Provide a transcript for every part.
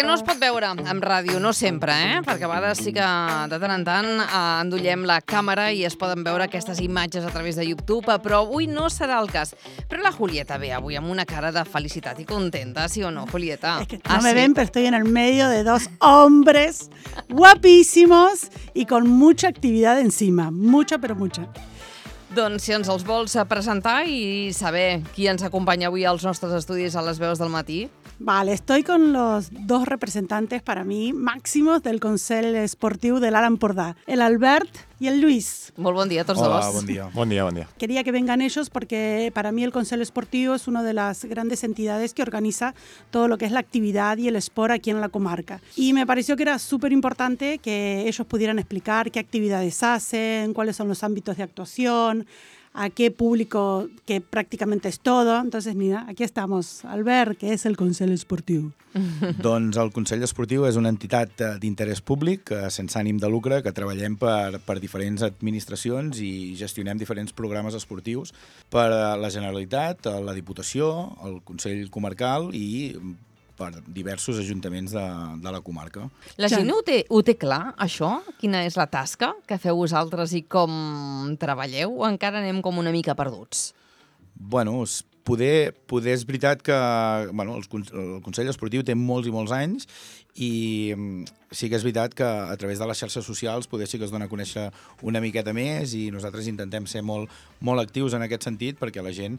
que no es pot veure en ràdio, no sempre, perquè a vegades sí que de tant en tant endollem la càmera i es poden veure aquestes imatges a través de YouTube, però avui no serà el cas. Però la Julieta ve avui amb una cara de felicitat i contenta, ¿sí o no, Julieta? Es que no me ven, pero estoy en el medio de dos hombres guapísimos y con mucha actividad encima. Mucha, pero mucha. Doncs si ens els vols presentar i saber qui ens acompanya avui als nostres estudis a les veus del matí. Vale, estoy con los dos representantes para mí máximos del Consell Esportiu de l'Alt Empordà, el Albert y el Luis. Molt bon dia a tots Hola, dos. bon dia. Buen día, buen día. Quería que vengan ellos porque para mí el Consell Esportiu es una de las grandes entidades que organiza todo lo que es la actividad y el sport aquí en la comarca. Y me pareció que era súper importante que ellos pudieran explicar qué actividades hacen, cuáles son los ámbitos de actuación, a qué público, que prácticamente es todo. Entonces, mira, aquí estamos. Albert, què és el Consell Esportiu? Doncs el Consell Esportiu és una entitat d'interès públic, sense ànim de lucre, que treballem per diferents administracions i gestionem diferents programes esportius per a la Generalitat, la Diputació, el Consell Comarcal i per diversos ajuntaments de la comarca. La gent ho té clar, això? Quina és la tasca que feu vosaltres i com treballeu? O encara anem com una mica perduts? Bueno, poder és veritat que el Consell Esportiu té molts i molts anys i sí que és veritat que a través de les xarxes socials poder sí que es dona a conèixer una miqueta més i nosaltres intentem ser molt actius en aquest sentit perquè la gent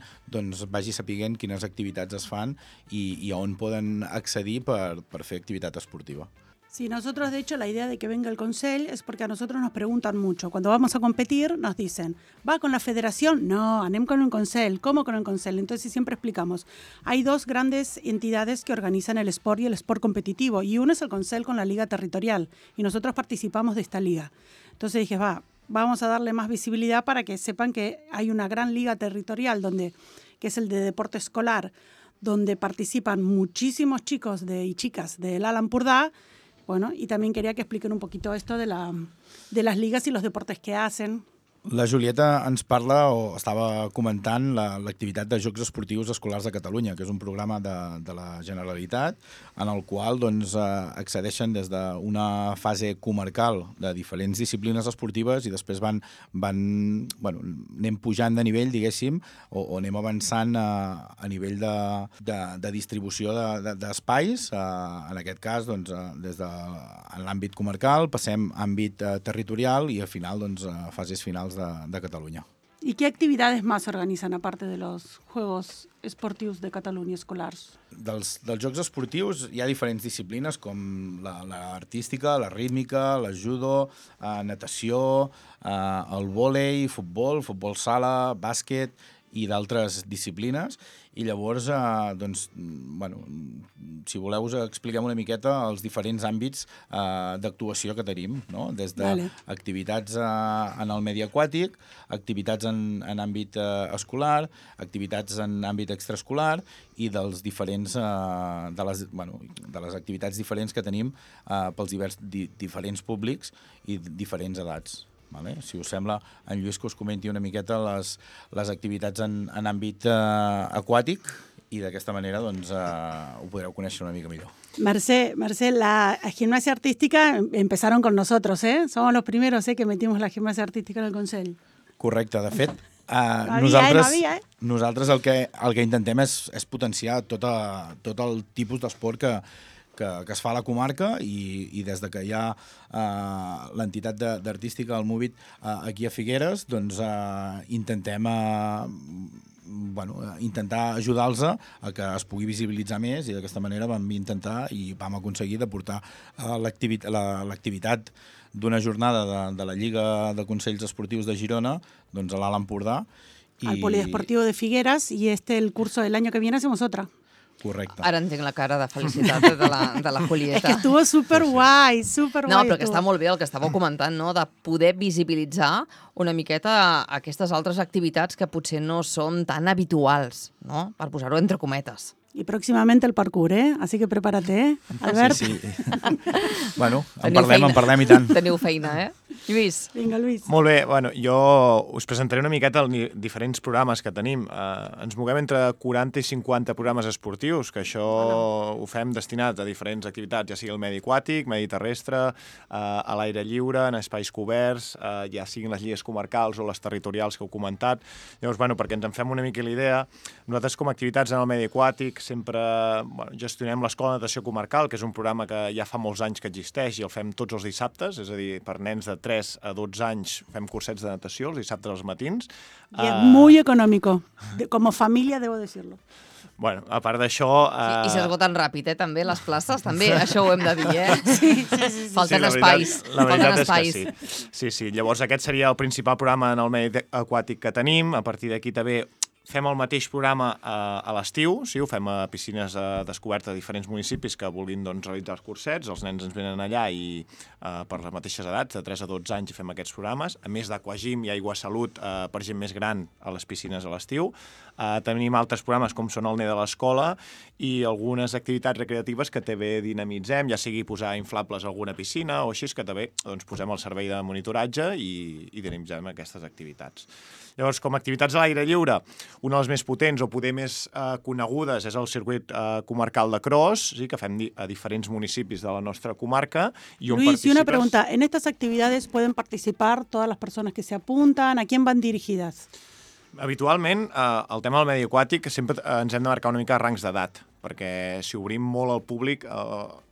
vagi sapiguent quines activitats es fan i on poden accedir per fer activitat esportiva. Sí, nosotros de hecho la idea de que venga el Consell es porque a nosotros nos preguntan mucho. Cuando vamos a competir nos dicen, ¿va con la federación? No, anem con un Consell. ¿Cómo con el Consell? Entonces siempre explicamos. Hay dos grandes entidades que organizan el sport y el sport competitivo y uno es el Consell con la Liga Territorial y nosotros participamos de esta liga. Entonces dije, vamos a darle más visibilidad para que sepan que hay una gran liga territorial que es el de deporte escolar, donde participan muchísimos chicos y chicas del Alt Empordà. Bueno, y también quería que expliquen un poquito esto de las ligas y los deportes que hacen. La Julieta ens parla o estava comentant l'activitat de Jocs Esportius Escolars de Catalunya, que és un programa de la Generalitat en el qual accedeixen des d'una fase comarcal de diferents disciplines esportives i després anem pujant de nivell, diguéssim, o anem avançant a nivell de distribució d'espais. En aquest cas, des de l'àmbit comarcal, passem a àmbit territorial i al final, a fases finals de Cataluña. ¿Y qué actividades más organizan aparte de los Juegos Esportius de Catalunya escolars? Dels Jocs Esportius hi ha diferents disciplines com l'artística, la rítmica, el judo, natació, el vòlei, futbol sala, bàsquet i d'altres disciplines. I llavors, si voleu, us expliquem una miqueta els diferents àmbits d'actuació que tenim, no? Des d'activitats en el medi aquàtic, activitats en àmbit escolar, activitats en àmbit extraescolar i de les activitats diferents que tenim pels diferents públics i diferents edats. Si us sembla, en Lluís que us comenti una miqueta les activitats en àmbit aquàtic i d'aquesta manera ho podreu conèixer una mica millor. Mercè, la gimnasia artística empezaron con nosotros, ¿eh? Somos los primeros que metimos la gimnasia artística en el Consell. Correcte, de fet, nosaltres el que intentem és potenciar tot el tipus d'esport que es fa a la comarca i des que hi ha l'entitat d'artística, el Movit, aquí a Figueres, intentem ajudar-los a que es pugui visibilitzar més i d'aquesta manera vam intentar i vam aconseguir de portar l'activitat d'una jornada de la Lliga de Consells Esportius de Girona a l'Alt Empordà. Al Polideportivo de Figueras y el curso del año que viene hacemos otra. Correcte. Ara entenc la cara de felicitat de la Julieta. És que estuvo superguai, superguai. No, però que està molt bé el que estàveu comentant, no? De poder visibilitzar una miqueta aquestes altres activitats que potser no són tan habituals, no? Per posar-ho entre cometes. Y próximamente el parkour, ¿eh? Así que prepárate, ¿eh? Albert. Sí. Bueno, en parlem i tant. Teniu feina, eh? Lluís. Vinga, Lluís. Molt bé, bueno, jo us presentaré una miqueta els diferents programes que tenim. Ens moguem entre 40 i 50 programes esportius, que això ho fem destinat a diferents activitats, ja sigui el medi aquàtic, medi terrestre, a l'aire lliure, en espais coberts, ja siguin les lligues comarcals o les territorials que heu comentat. Llavors, bueno, perquè ens en fem una mica la idea, nosaltres com a activitats en el medi aquàtic sempre gestionem l'Escola de Natació Comarcal, que és un programa que ja fa molts anys que existeix i el fem tots els dissabtes, és a dir, per nens de 3 a 12 anys fem cursets de natació els dissabtes als matins. Y es muy económico. Como familia, debo decirlo. Bueno, a part d'això... I s'esgoten ràpid, també, les places, també, això ho hem de dir, Sí. Falten la espais. La veritat espais. és que sí. Llavors aquest seria el principal programa en el medi aquàtic que tenim. A partir d'aquí també fem el mateix programa a l'estiu, sí, ho fem a piscines descobertes de diferents municipis que vulguin realitzar els cursets. Els nens ens venen allà i per les mateixes edats, de 3 a 12 anys, fem aquests programes. A més d'Aquagym i Aigua Salut per gent més gran a les piscines a l'estiu. Tenim altres programes com són el NE de l'Escola i algunes activitats recreatives que també dinamitzem, ja sigui posar inflables a alguna piscina o així, que també posem el servei de monitoratge i dinamitzem aquestes activitats. Llavors, com a activitats a l'aire lliure, una de les més potents o poder més conegudes és el circuit comarcal de cross, sí, que fem a diferents municipis de la nostra comarca. Luis, y una pregunta, ¿en estas actividades pueden participar todas las personas que se apuntan? ¿A quién van dirigidas? Habitualment, el tema del medi aquàtic sempre ens hem de marcar una mica rangs d'edat, perquè si obrim molt al públic,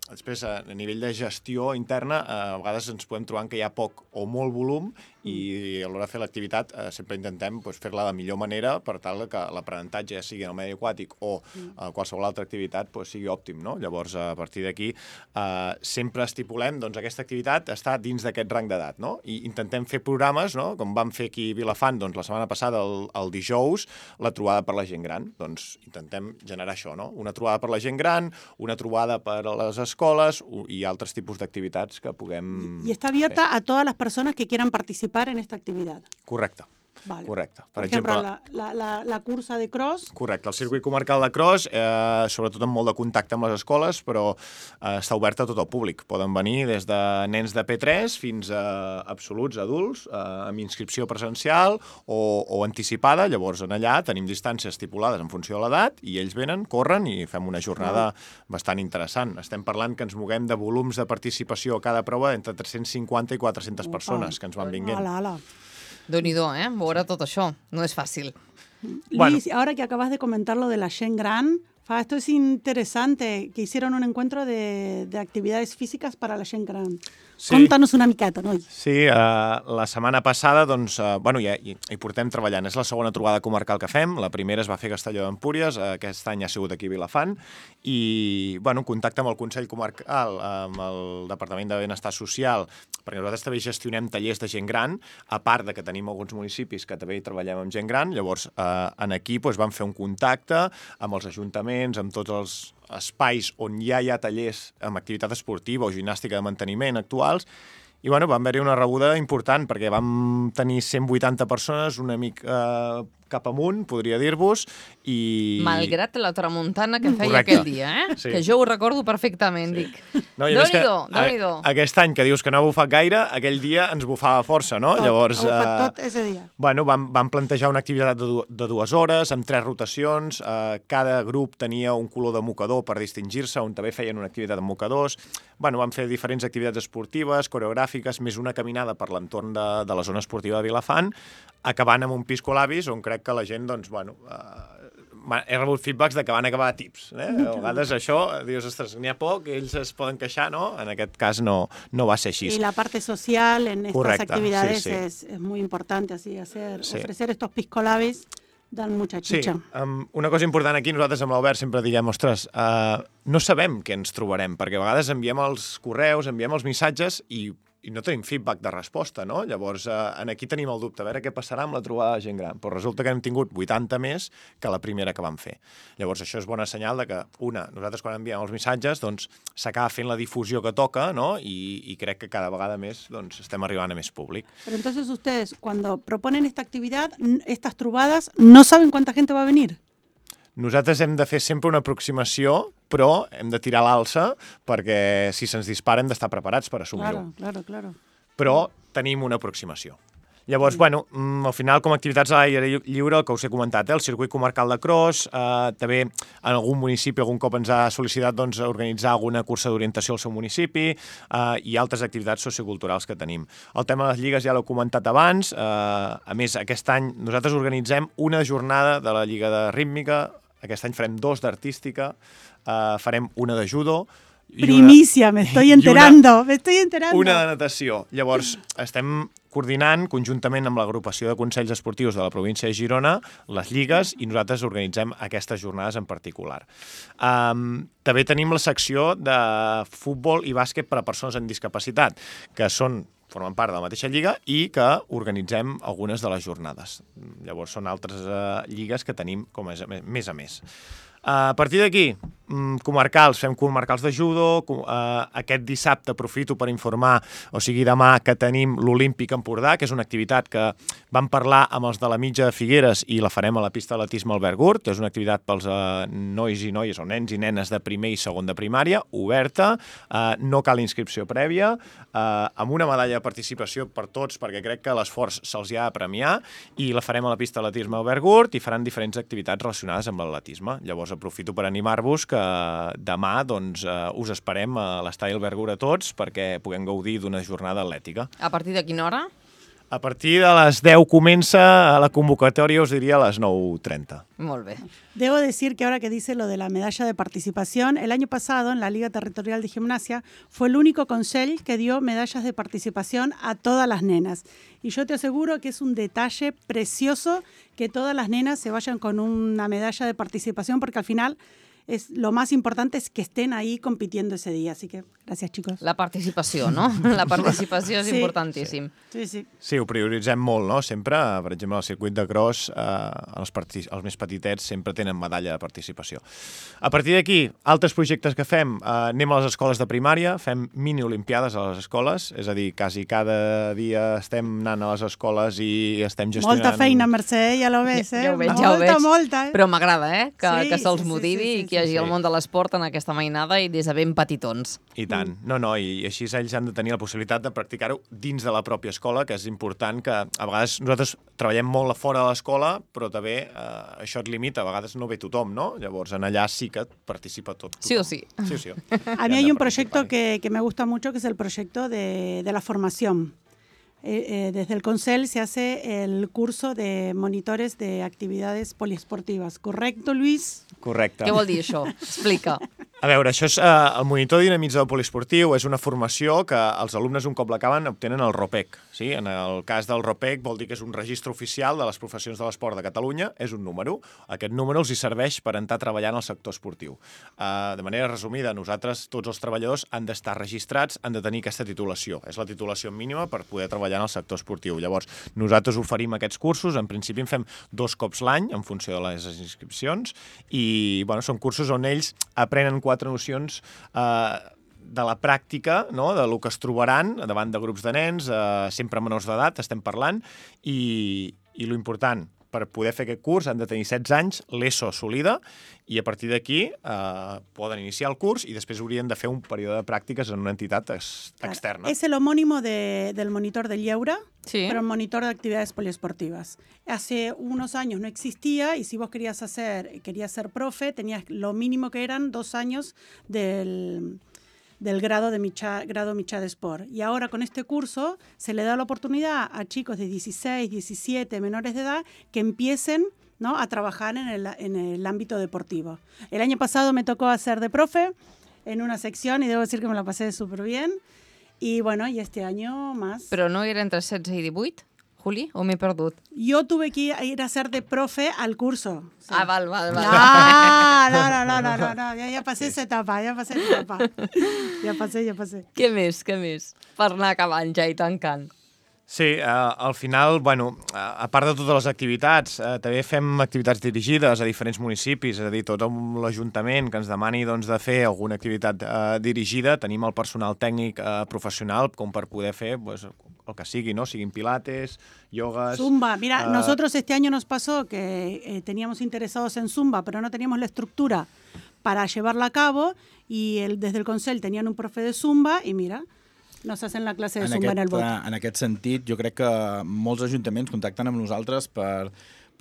després a nivell de gestió interna, a vegades ens podem trobar que hi ha poc o molt volum i a l'hora de fer l'activitat sempre intentem fer-la de millor manera per tal que l'aprenentatge, ja sigui en el medi aquàtic o qualsevol altra activitat, sigui òptim, no? Llavors, a partir d'aquí, sempre estipulem aquesta activitat està dins d'aquest rang d'edat, no? I intentem fer programes, no? Com vam fer aquí a Vilafant la setmana passada, el dijous, la trobada per la gent gran. Doncs intentem generar això, no? Una trobada per la gent gran, una trobada per a les escoles i altres tipus d'activitats que puguem... I està abierta a totes les persones que quieran participar en esta actividad. Correcte. Vale. Correcte. Per exemple, la cursa de cross... Correcte. El circuit comarcal de cross, sobretot amb molt de contacte amb les escoles, però està obert a tot el públic. Poden venir des de nens de P3 fins a absoluts adults, amb inscripció presencial o anticipada. Llavors, allà tenim distàncies estipulades en funció de l'edat i ells venen, corren i fem una jornada bastant interessant. Estem parlant que ens moguem de volums de participació a cada prova entre 350 i 400 persones que ens van vinguent. Déu-n'hi-do, veure tot això. No és fàcil. Luis, ahora que acabas de comentar lo de la Gent Gran, esto es interesante, que hicieron un encuentro de actividades físicas para la Gent Gran. Sí. Contanos una miqueta, noi. Sí, la setmana passada, ja hi portem treballant. És la segona trobada comarcal que fem. La primera es va fer a Castelló d'Empúries, aquest any ha sigut aquí a Vilafant, i, contacte amb el Consell Comarcal, amb el Departament de Benestar Social, perquè nosaltres també gestionem tallers de gent gran, a part de que tenim alguns municipis que també hi treballem amb gent gran. Llavors, aquí vam fer un contacte amb els ajuntaments, amb tots els espais on ja hi ha tallers amb activitat esportiva o gimnàstica de manteniment actuals, i vam haver-hi una rebuda important perquè vam tenir 180 persones, una mica cap amunt, podria dir-vos, i... Malgrat la tramuntana que feia aquell dia, Sí. Que jo ho recordo perfectament, dic. Déu-n'hi-do. Aquest any que dius que no ha bufat gaire, aquell dia ens bufava força, no? Llavors, ha bufat tot ese dia. Vam plantejar una activitat de 2 hores, amb 3 rotacions, cada grup tenia un color de mocador per distingir-se, on també feien una activitat amb mocadors. Vam fer diferents activitats esportives, coreogràfiques, més una caminada per l'entorn de la zona esportiva de Vilafant, acabant amb un pisco labis, on crec que la gent, he rebut feedbacks de que van acabar tips. A vegades això, dius, ostres, n'hi ha poc, ells es poden queixar, no? En aquest cas no va ser així. Y la parte social en estas actividades es muy importante, así, ofrecer estos pisco labis dan mucha chicha. Sí, una cosa important aquí, nosaltres amb l'Albert sempre diguem, ostres, no sabem què ens trobarem, perquè a vegades enviem els correus, enviem els missatges i no tenim feedback de resposta, no? Llavors, aquí tenim el dubte, a veure què passarà amb la trobada de gent gran. Però resulta que hem tingut 80 més que la primera que vam fer. Llavors, això és bona senyal de que, nosaltres quan enviem els missatges, s'acaba fent la difusió que toca, no? I crec que cada vegada més estem arribant a més públic. Pero entonces ustedes, cuando proponen esta actividad, estas trobadas, ¿no saben cuánta gente va a venir? Nosaltres hem de fer sempre una aproximació, però hem de tirar l'alça perquè si se'ns dispara hem d'estar preparats per assumir-ho. Claro. Però tenim una aproximació. Llavors, bueno, al final, com a activitats a l'aire lliure, el que us he comentat, el circuit comarcal de cross, també en algun municipi algun cop ens ha sol·licitat doncs, organitzar alguna cursa d'orientació al seu municipi i altres activitats socioculturals que tenim. El tema de les lligues ja l'he comentat abans, a més, aquest any nosaltres organitzem una jornada de la Lliga de Rítmica, aquest any farem 2 d'artística, farem una de judo, Primicia, me estoy enterando. Una de natació. Llavors, estem coordinant conjuntament amb l'agrupació de consells esportius de la província de Girona les lligues i nosaltres organitzem aquestes jornades en particular. També tenim la secció de futbol i bàsquet per a persones amb discapacitat, que formen part de la mateixa lliga i que organitzem algunes de les jornades. Llavors, són altres lligues que tenim com més a més. A partir d'aquí, comarcals, fem comarcals de judo, aquest dissabte aprofito per informar, o sigui demà, que tenim l'Olímpic Empordà, que és una activitat que vam parlar amb els de la Mitja de Figueres i la farem a la pista d'atletisme Albert Gurt, és una activitat pels nois i noies o nens i nenes de primer i segon de primària, oberta, no cal inscripció prèvia, amb una medalla de participació per tots, perquè crec que l'esforç se'ls ha de premiar, i la farem a la pista d'atletisme Albert Gurt i faran diferents activitats relacionades amb l'atletisme. Llavors aprofito per animar-vos que demà us esperem a l'estadi Albert Gurt a tots perquè puguem gaudir d'una jornada atlètica. A partir de quina hora? A partir de les 10 comença la convocatòria, os diría a las 9:30. Molt bé. Debo decir que ahora que dice lo de la medalla de participación, el año pasado en la Liga Territorial de Gimnasia fue el único consell que dio medallas de participación a todas las nenas. Y yo te aseguro que es un detalle precioso que todas las nenas se vayan con una medalla de participación porque al final lo más importante es que estén ahí compitiendo ese día. Así que gràcies, chicos. La participació, no? La participació és importantíssim. Sí. Sí, ho prioritzem molt, no? Sempre, per exemple, al circuit de cross, els més petitets sempre tenen medalla de participació. A partir d'aquí, altres projectes que fem, anem a les escoles de primària, fem mini-olimpiades a les escoles, és a dir, quasi cada dia estem anant a les escoles i estem gestionant... Molta feina, Mercè, ja lo ves, eh? Ja ho veig. Molta, eh? Però m'agrada, que se'ls motivi i que hi hagi el sí. món de l'esport en aquesta mainada i des de ben petitons. I tant. No, i així ells han de tenir la possibilitat de practicar-ho dins de la pròpia escola, que és important que a vegades nosaltres treballem molt a fora de l'escola, però també això et limita, a vegades no ve tothom, no? Llavors, en allà sí que participa tothom. Sí o sí. Sí o sí. A mí hay un proyecto que me gusta mucho, que es el proyecto de la formación. Desde el Consell se hace el curso de monitores de actividades poliesportivas. ¿Correcto, Luis? Correcte. Què vol dir això? Explica. A veure, això és el monitor dinamitzador poliesportiu, és una formació que els alumnes un cop l'acaben obtenen el ROPEC. Sí? En el cas del ROPEC vol dir que és un registre oficial de les professions de l'esport de Catalunya, és un número. Aquest número els hi serveix per entrar a treballar en el sector esportiu. De manera resumida, nosaltres, tots els treballadors han d'estar registrats, han de tenir aquesta titulació. És la titulació mínima per poder treballar en el sector esportiu. Llavors, nosaltres oferim aquests cursos, en principi en fem 2 cops l'any, en funció de les inscripcions, i són cursos on ells aprenen 4 nocions de la pràctica, no? De lo que es trobaran davant de grups de nens, sempre menors d'edat, estem parlant, i lo important, per poder fer aquest curs han de tenir 16 anys, l'ESO assolida, i a partir d'aquí poden iniciar el curs i després haurien de fer un període de pràctiques en una entitat externa. Es el homónimo del monitor del Lleura, sí. Pero monitor de actividades poliesportivas. Hace unos años no existía y si vos querías ser profe, tenías lo mínimo que eran 2 años del grado Michá de Sport. Y ahora con este curso se le da la oportunidad a chicos de 16, 17, menores de edad que empiecen, ¿no?, a trabajar en el ámbito deportivo. El año pasado me tocó hacer de profe en una sección y debo decir que me la pasé súper bien. Y bueno, y este año más. Però no era entre 16 i 18, Juli, o m'he perdut? Yo tuve que ir a ser de profe al curso. Sí. Ah, val. No, ya pasé esa etapa, Ya pasé. Què més? Per anar acabant ja i tancant. Sí, al final, a part de totes les activitats, també fem activitats dirigides a diferents municipis, és a dir, tot l'Ajuntament que ens demani de fer alguna activitat dirigida, tenim el personal tècnic professional com per poder fer el que sigui, no? Siguin pilates, yogas... Zumba. Mira, nosotros este año nos pasó que teníamos interesados en Zumba, pero no teníamos la estructura para llevarla a cabo y desde el Consell tenían un profe de Zumba y mira... nos hacen la clase de Zumba en el bot. En aquest sentit, jo crec que molts ajuntaments contacten amb nosaltres per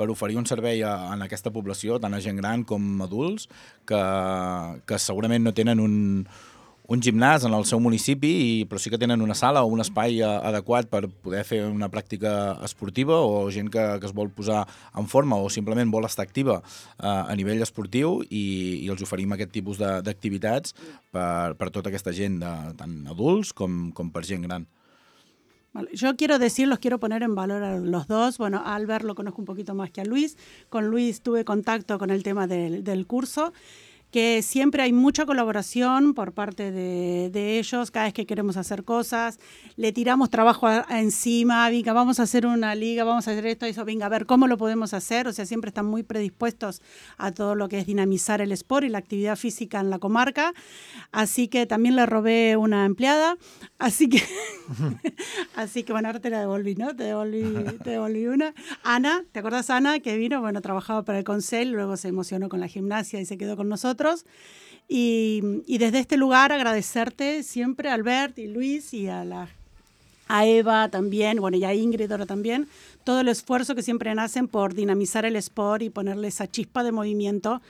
oferir un servei en aquesta població, tant a gent gran com adults, que segurament no tenen un gimnàs en el seu municipi, però sí que tenen una sala o un espai adequat per poder fer una pràctica esportiva, o gent que es vol posar en forma o simplement vol estar activa a nivell esportiu, i els oferim aquest tipus d'activitats per tota aquesta gent, tant adults com per gent gran. Vale, yo los quiero poner en valor a los dos. Bueno, a Albert lo conozco un poquito más que a Luis. Con Luis tuve contacto con el tema del curso, que siempre hay mucha colaboración por parte de ellos. Cada vez que queremos hacer cosas, le tiramos trabajo encima, venga, vamos a hacer una liga, vamos a hacer esto, eso, venga, a ver cómo lo podemos hacer. O sea, siempre están muy predispuestos a todo lo que es dinamizar el sport y la actividad física en la comarca. Así que también le robé una empleada. Así que bueno, ahora te la devolví, ¿no? Te devolví una. Ana, ¿te acuerdas, Ana, que vino? Bueno, trabajaba para el Consell, luego se emocionó con la gimnasia y se quedó con nosotros. Y desde este lugar agradecerte siempre, Albert y Luis, y a Eva también, bueno, y a Ingrid ahora también, todo el esfuerzo que siempre hacen por dinamizar el sport y ponerle esa chispa de movimiento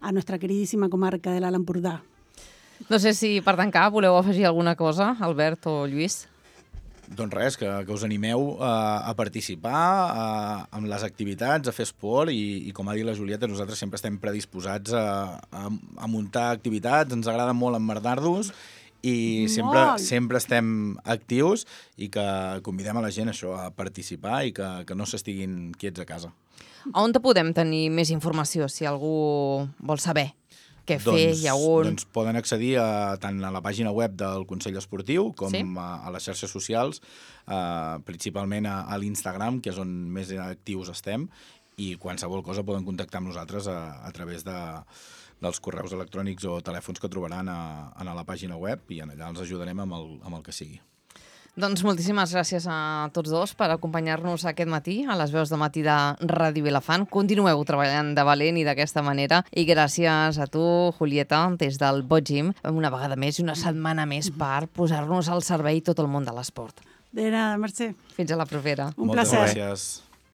a nuestra queridísima comarca de l'Alt Empordà. No sé si per tancar voleu afegir alguna cosa, Albert o Lluís. Doncs res, que us animeu a participar en les activitats, a fer esport, i com ha dit la Julieta, nosaltres sempre estem predisposats a muntar activitats, ens agrada molt emmerdar-nos i sempre estem actius, i que convidem a la gent a participar i que no s'estiguin quiets a casa. On te podem tenir més informació si algú vol saber què fer i on? Doncs poden accedir tant a la pàgina web del Consell Esportiu com a les xarxes socials, principalment a l'Instagram, que és on més actius estem, i qualsevol cosa poden contactar amb nosaltres a través dels correus electrònics o telèfons que trobaran a la pàgina web, i allà els ajudarem amb el que sigui. Doncs moltíssimes gràcies a tots dos per acompanyar-nos aquest matí a les veus de matí de Ràdio Vilafant. Continueu treballant de valent i d'aquesta manera. I gràcies a tu, Julieta, des del Bot Gym, una vegada més i una setmana més per posar-nos al servei tot el món de l'esport. De nada, Mercè. Fins a la propera. Un placer. Moltes gràcies.